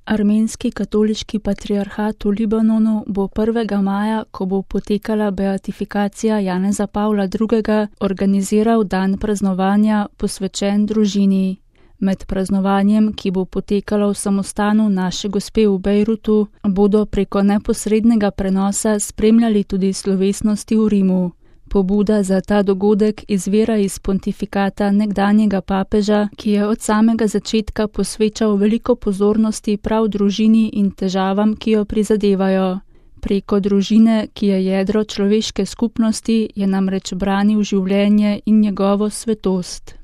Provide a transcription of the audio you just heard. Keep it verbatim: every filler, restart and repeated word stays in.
Armenski katoliški patriarhat v Libanonu bo prvega maja, ko bo potekala beatifikacija Janeza Pavla drugega, organiziral dan praznovanja posvečen družini. Med praznovanjem, ki bo potekalo v samostanu Naše Gospe v Bejrutu, bodo preko neposrednega prenosa spremljali tudi slovesnosti v Rimu. Pobuda za ta dogodek izvira iz pontifikata nekdanjega papeža, ki je od samega začetka posvečal veliko pozornosti prav družini in težavam, ki jo prizadevajo. Preko družine, ki je jedro človeške skupnosti, je namreč branil življenje in njegovo svetost.